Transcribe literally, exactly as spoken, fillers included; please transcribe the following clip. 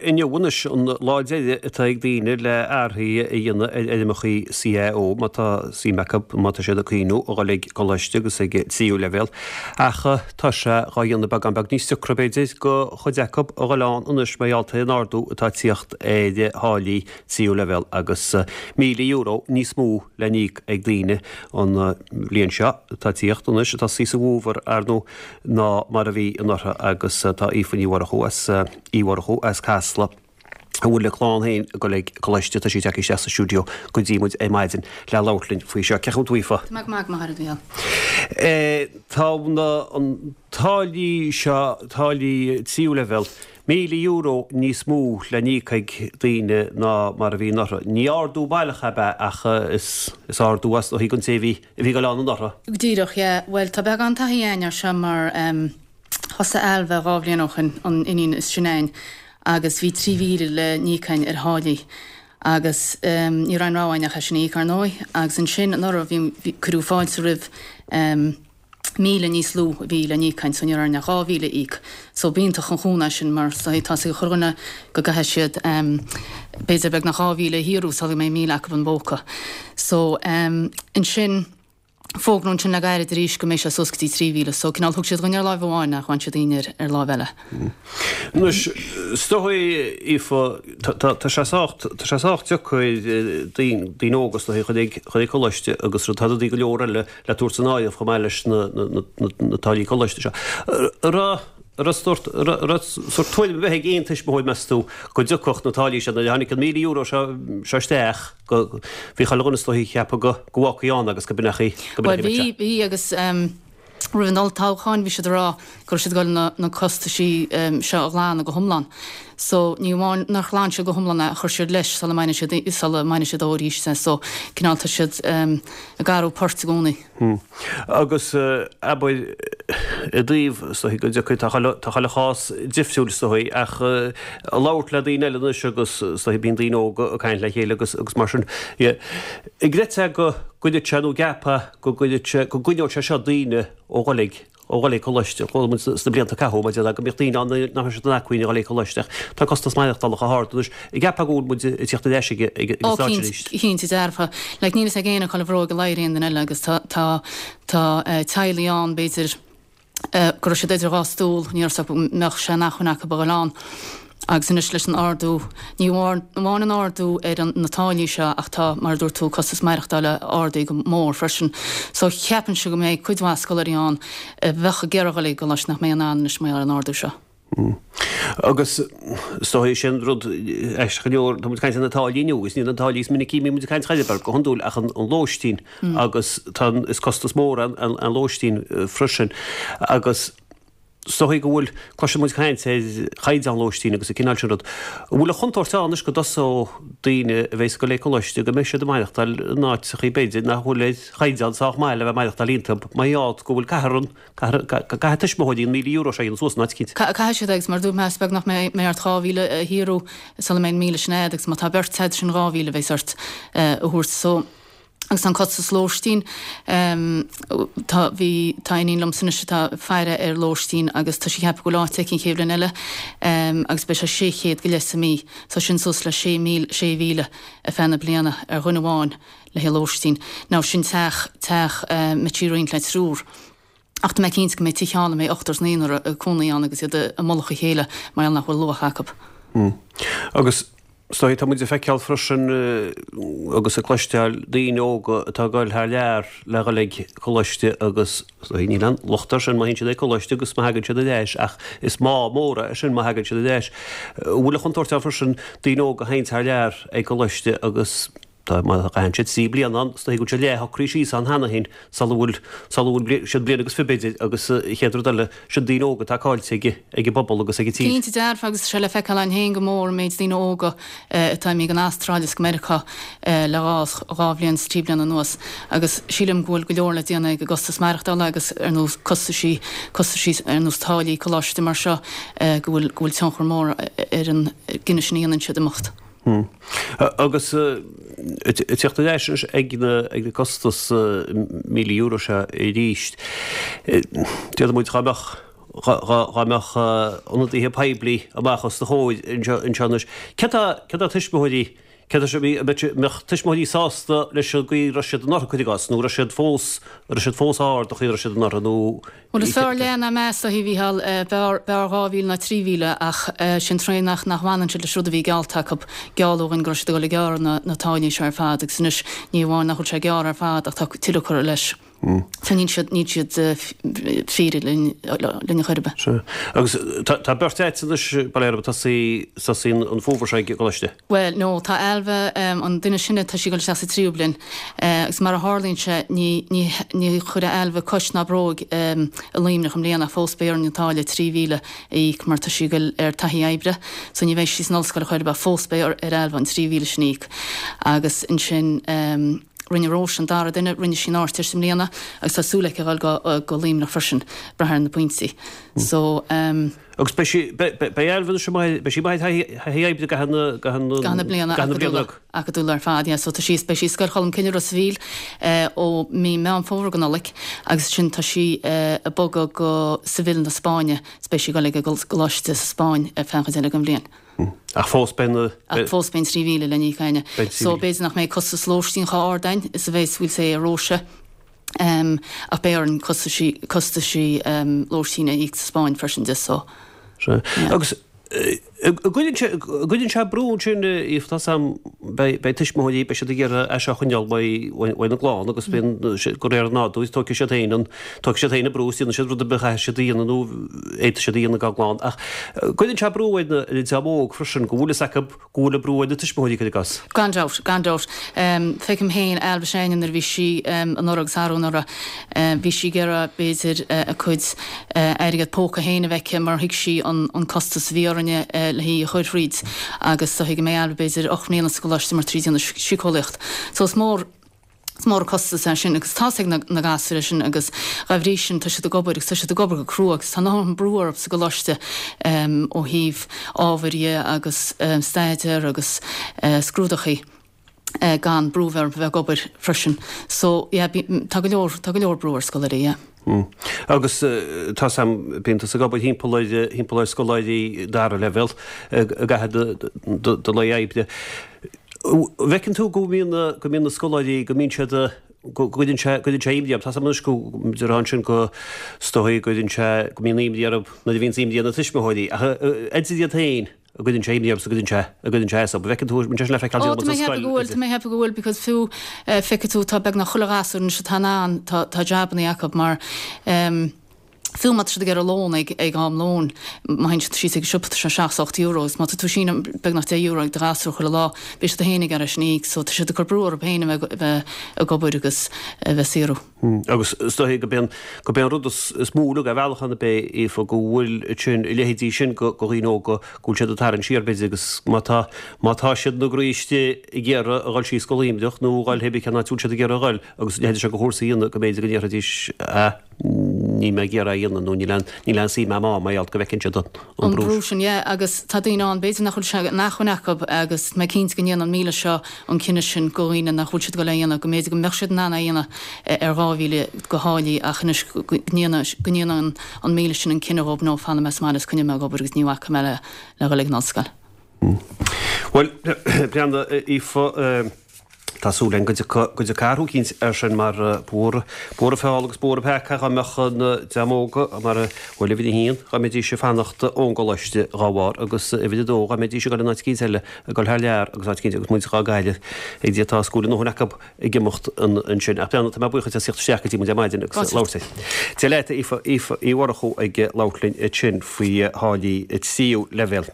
Inniu anois an lá deiridh atá ag daoine le athruithe a dhéanamh ar fhoirmeacha C A O má tá suim acu, má tá siad ag cuimhniú a dhul ag coláiste agus ag tríú leibhéal. Ach tá sé dhá dhéanamh beagán beag níos deacra, b'fhéidir, do chuid acu a dhul ann anois mar gheall ar an ardú atá ag tíocht ar tháillí tríú leibhéal agus míle euro níos mó le n-íoc ag daoine an bhliain seo atá ag tíocht anois, atá sa bhfómhar, ar ndóigh, ná mar a bhí anuraidh. Agus tá Aoife Ní Mhurchú as Uí Mhurchú as Casla, a bhfuil a clann féin ag dul ag coláiste, tá sí tagtha isteach sa stiúideo go dtí muid ar maidin le labhairt linn faoi seo. Cén chaoi a bhfuil tú, Aoife? Tá mé go maith, a Mhichíl. Tá na an táillí seo, táillí tríú leibhéal, míle euro níos mó le n-íoc ag daoine ná mar a bhí anuraidh. Ní ardú baileach ab ea ach is is ardú as dóigh don té a bhí a bhí ag dul ann anuraidh. Díreach, yeah. Bhuel, tá beagán taithí againn ar seo mar um, thosaigh Ailbhe dhá bhliain ó shin, an iníon is sine againn, agus bhí trí mhíle le n-íoc againn ar tháillí agus um, ní raibh aon rogha againn ach é sin a íoc, ar ndóigh. Agus ansin anuraidh bhí, bhí cuireadh fáilte roimh um, míle níos lú a bhí le n-íoc againn, so ní raibh orainn ach dhá mhíle a íoc. So b'iontach an chúnamh sin mar so tá sé ag chuile dhuine go gcaithfidh siad um, b'fhéidir beagnach dhá mhíle a shaothrú sula mbeidh míle acu i bpóca. So um, ansin fógraíodh ansin le gairid arís go mbeidh sé suas go dtí trí mhíle, so cineál thug siad dhuine ar láimh amháin ach bhain siad dínn ar ar láimh eile. Anois, is dóigh, Aoife, tá sé sách tá sé sách deacair daoine daoine óga, is dóigh, a dhul ag dhul ag coláiste agus tá rudaí go leor eile le tabhairt san áireamh chomh maith leis na na na na táillí coláiste seo. An raibh an raibh sórt an raibh sórt tuairim a bheith ag aon tuismitheoir, meas tú, go dtiocfadh na táillí seo nuair a tháinig an míle euro seo seo isteach, go bhí chuile dhuine, is dóigh, ag ceapadh go go bhfágfaí ann agus go b'in go Well, bhí bhí agus um, roimh an olltoghchán bhí siad ag rá go raibh siad ag dul na, na costaisí um, seo a ghlanadh go hiomlán. So ní amháin nár ghlan siad go hiomlán é, chuir siad leis sula mbainfidh siad sula mbainfidh siad arís é, so cineál tá siad um, ag athrú poirt i gcónaí. Hmm. Agus uh, abair i dtaobh go dtiocfaidh, tá chuile tá chuile chás difriúil, is dóigh, ach uh, labhairt le daoine eile anois agus, is dóigh, bíonn daoine óga ag caint le chéile agus agus mar sin. An gcreidfeá go gcuirfeadh sé nó gceapfá go gcuirfeadh sé go gcoinneodh sé seo daoine ó dhul ag ó dhul ag coláiste? Chuala muid sna blianta a caitheadh maidir le go mbíodh daoine ann nach raibh siad in acmhainn a dhul ag coláiste ach tá costas maireachtála chomh hard anois. An gceapfá go bhfuil muid ag tíocht ar ais ag ag ag Ó an stáitse arís? Cinnte dearfa. Like, níl a fhios ag éinne cá bhfuil an bhróg ag ladhar aon duine eile agus tá tá tá uh, teaghlaigh ann b'fhéidir uh, go raibh siad idir dhá stól, ní raibh mbeadh sé in acmhainn acu a dhul ann. Agus anois leis an ardú, ní amháin an ardú ar an na táillí seo ach tá, mar a dúirt tú, costas maireachtála ardaithe go mór freisin. So ceapaimse go mbeidh cuid mhaith scoláirí ann a bheadh ag iarraidh dul ag coláiste nach mbeidh in ann anois mar gheall ar an ardú seo. Agus is dóigh sin rud aisteach go leor, tá muid ag caint ar na táillí inniu agus ní na táillí is minicí a mbíonn muid ag caint air go hiondúil ach an an lóistín agus tá is costas mór an an an lóistín freisin agus is dóigh go bhfuil cloiseann muid caint ar chaighdeán lóistín agus an cineál sin rud. An bhfuil an chontúirt ann anois go dtosódh daoine a bheas ag dul ag coláiste go mbeidh siad ag maireachtáil in áiteachaí b'fhéidir nach bhfuil ar chaighdeán sách maith le bheith ag maireachtáil iontu mar gheall go bhfuil caithfear an caithfidh tuismitheoirí an míle euro seo a dhéanamh suas in áit eicínt. Caithfidh siad agus mar dúirt mé is beag nach mbeidh ort dhá mhíle a shaothrú sula mbeidh an míle sin agat agus má tá beirt agat sin dhá mhíle a bheas ort a thabhairt so agus an costas lóistín, tá bhí tá iníon liomsa anois atá ag faire ar lóistín agus tá sí ag ceapadh go bhfuil áit aici an chéad bhliain eile agus beidh sé sé chéad go leith sa mí so sin suas le sé míle sé mhíle ar feadh na bliana ar dhuine amháin le haghaidh lóistín. Now sin teach teach mbeidh sí ag roinnt le triúr. Ach tá mé cinnte go mbeidh tithe ann a mbeidh ochtar is naonúr ag cónaí ann agus iad i mullach a chéile mar gheall nach bhfuil luach acu. Agus is dóigh tá muid ag feiceáil freisin agus ag cloisteáil daoine óga atá ag dul thar lear le dhul ag coláiste agus is dóigh níl aon locht air sin má théann siad ag coláiste agus má thagann siad ar ais ach is má mór é sin má thagann siad ar ais. An bhfuil an chontúirt ann freisin daoine óga a théann thar lear ag coláiste agus tá má chaitheann siad trí bliana ann, is dóigh go bhfuil siad leath-shocraithe síos ann cheana féin sula bhfuil sula bhfuil siad bliain agus fiche b'fhéidir agus an chéad rud eile sin daoine óga atá caillte ag ag an bpobal agus ag an tír. Cinnte dearfa agus tá sé le feiceáil ann féin go mór an méid daoine óga atá imithe go Astráil is go Meiriceá le dhá dhá bhliain is trí bliana anuas agus sílim go bhfuil go leor le déanamh ag an gcostas maireachtála agus ar nós costaisí costaisí ar nós táillí coláiste mar seo go bhfuil go bhfuil tionchar mór ar an gcinneadh sin a dhéanann siad imeacht. Agus ag teacht ar ais ag na ag na costas míle euro seo arís, déarfaidh muid dhá mbeadh Dá mbeadh ionadaithe poiblí amach os do chomhair anseo anois, céard tá tuismitheoirí, céard tá an mbeadh tuismitheoirí sásta leis an gcaoi a raibh siad anuraidh, cuir i gcás, nó raibh siad fós, raibh siad fós ard an chaoi a raibh siad anuraidh nó. Bhuel is fearr leath ná meas a Mhícheáil, b'fhearr dhá mhíle ná trí mhíle ach sin tréan nach nach bhfanann siad leis rud a bhí geallta acu, gealladh dhúinn go raibh siad ag dul ag gearradh na na táillí seo ar fad agus anois ní amháin nach bhfuil sé gearrtha ar fad ach tá tuilleadh curtha leis. So níl siad níl siad fíor linn linn chor ar bith. Sea. Agus tá tá beirt agat anois bail ó Dhia oraibh ag tosaí tosaí an fómhar seo ag an gcoláiste? Bhuel no tá Ailbhe an duine is sine tá sí ag dul isteach sa tríú bliain agus mar a tharlaíonn sé ní ní ní chuirfidh Ailbhe cois ná bróg i Luimneach i mbliana ach fós beidh orainn an táille trí mhíle a íoc mar tá sí ag dul ar taithí oibre so ní bheidh sí san ollscoil chor ar bith fós beidh ar Ailbhe an trí mhíle sin a íoc agus ansin rinne Róise an dara duine, rinne sí an Ardteist i mbliana agus tá súil aici a dhul go go Luimneach freisin, brath ar na pointí. So um. Agus beidh sí, beidh Ailbhe anois amuigh, beidh sí amuigh ar thaithí oibre i gcaitheamh na, i gcaitheamh na, gcaitheamh na bliana acadúla, acadúla ar fad, yeah. So tá sí, beidh sí i Scoil Cholm Cille Ros a' Mhíl eh, ó mí Meán Fómhair go Nollaig agus ansin tá sí eh, ag bogadh go Seville na Spáinne, is beidh sí ag dul ag an gcoláiste sa Spáinn ar feadh an chuid eile den bhliain. Ach fós beidh na. Ach fós beidh an trí mhíle le n-íoc againne. So b'fhéidir nach mbeidh costas lóistín chomh ard againn is a bheas we'll say ar Róise. Um, ach beidh orainn costaisí costaisí um, lóistín a íoc sa Spáinn freisin de so. Sea. Agus an gcuireann sé brú ansin Aoife tá sam beidh tuismitheoirí beidh siad ag iarraidh é seo a choinneáil uaidh na gclann agus bíonn de réir an nádúir tógfaidh siad féin an tógfaidh siad féin an brú is déanfaidh siad rud ar bith a chaithfidh siad a dhéanamh nó fhéadfaidh siad a dhéanamh dá gclann ach cuireann sé brú ar na ar an dream óg freisin go bhfuil fhios acu go bhfuil an brú ar na tuismitheoirí cuir i gcás. Gan dabht, gan dabht. Feicim féin Ailbhe s'againne nuair a bhí sí anuraidh agus arú anuraidh bhí sí ag iarraidh b'fhéidir a cuid airgead póca féin a bheith aici mar thuig sí an costas a bhí orainne le hí a chur thríd agus do thuig mé Ailbhe b'fhéidir ocht mbliana sa gcoláiste mar trí déanamh síceolaíocht. So is mór is mór an costas é sin agus tá's ag na gasúir é sin agus dá bhrí sin tá siad ag obair agus tá siad ag obair go crua agus tá an brú orthu sa gcoláiste ó thaobh ábhair dhe agus staidéar agus scrúdachaí gan brú bheith orthu bheith ag obair freisin. So yeah tá go leor tá go leor brú ar scoláirí yeah. Agus tá sam bíonn tusa ag obair thimpeall ar thimpeall ar scoláirí dara leibhéal i gcaitheamh do lae oibre. Bhfeiceann tú go mbíonn go mbíonn na scoláirí go mbíonn siad go gcuireann sé go gcuireann sé imní orthu. Tá sam anois go déarfá ansin go is dóigh go gcuireann sé go mbíonn imní orthu nuair a bhíonn imní ar na tuismitheoirí ach idir iad féin an gcuireann sé imní orthu is an gcuireann sé an gcuireann sé as orthu. Bhfeiceann tú an sé sin le feiceáil Ó tá mé ag ceapadh go bhfuil tá mé ag ceapadh go bhfuil because fiú feicfidh tú tá beagnach chuile ghasúr anois atá in ann tá tá jabannaí acu mar um, fiú má tá siad ag iarraidh lón ag ag am lóin má théann siad síos ag an siopa tá sé seacht ocht euro agus má tá tú síneadh beagnach deich euro ag do ghasúr chuile lá beidh siad féin ag iarraidh sin a íoc so tá siad ag cur brú orthu féin a bheith bheith ag obair agus a bheith saothrú. Agus is dóigh go b'é go b'é an rud is is mó uilig ar bhealach ann ab é Aoife go bhfuil sin a leithéidí sin go go dhaoine óga go bhfuil siad ag tarraingt siar b'fhéidir agus má tá má tá siad ina gcroí istigh ag iarraidh a dhul síos go Luimneach nó a dhul pé cén áit a bhfuil siad ag iarraidh a dhul agus a leithéidí seo de chúrsaí a dhéanamh go mb'fhéidir go ndéarfaidís ah níl mé ag iarraidh a dhéanamh nó níl aon níl aon suim agam ann mar gheall go bhfeiceann siad an An brú brú sin, yeah, agus tá daoine ann, b'fhéidir nach bhfuil sé in acmhainn acu agus mé cinnte go ndéanann an míle seo an cinneadh sin go dhaoine nach bhfuil siad ag dul é a dhéanamh, go mb'fhéidir go mbeadh siad in ann é a dhéanamh ar dhá mhíle de tháillí ach anois go ndéanann go ndéanann an míle sin an cinneadh dhóibh no fanfaidh mé sa mbaile is coinneoidh mé ag obair agus ní bhacfaidh mé le le dhul ag an ollscoil. Bhuel, breathnaigh Aoife, tá súil againn go dtiocfaidh go dtiocfaidh athrú eicínt air sin mar buartha buartha feall agus buartha peaca dá mbeadh na dream óga mar bhuel uimhir a haon dá mbeidís ag fanacht ón gcoláiste dhá bharr agus uimhir a dó dá mbeidís ag dul in áit eicínt eile ag dul thar lear agus áit eicínt agus muid dhá gcailleadh ag Dia tá go bhfuil a ndóthain acu ag imeacht ansin. Ach breathnaigh tá mé buíoch duit as theacht isteach go dtí muid ar maidin agus labhairt linn. Dia leat Aoife Aoife Uí Mhurchú ag labhairt linn ansin faoi tháillí tríú leibhéal.